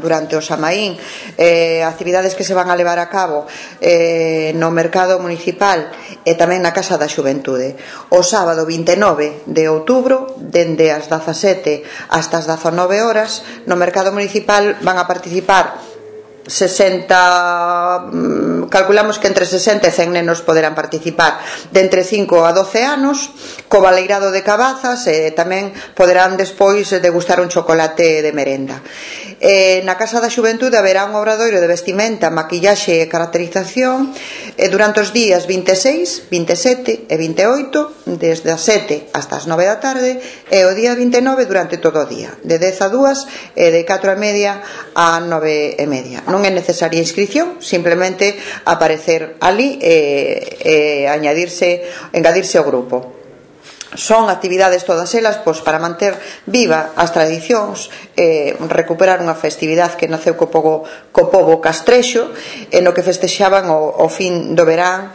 durante o Samaín, actividades que se van a levar a cabo no mercado municipal e tamén na Casa da Xuventude. O sábado 29 de outubro, dende as 17 hasta as 19 horas, no mercado municipal van a participar 60, calculamos que entre 60 e 100 nenos poderán participar, de entre 5 a 12 anos, co baleirado de cabazas, e tamén poderán despois degustar un chocolate de merenda. Na Casa da Xuventude haberá un obradoiro de vestimenta, maquillaxe e caracterización durante os días 26, 27 e 28, desde as 7 hasta as 9 da tarde, e o día 29 durante todo o día, de 10 a 2 e de 4 e media a 9 e media. Non é necesaria inscripción, simplemente aparecer ali e engadirse ao grupo. Son actividades todas elas para manter viva as tradicións, recuperar unha festividade que naceu co pobo castrexo, no que festexaban o fin do verán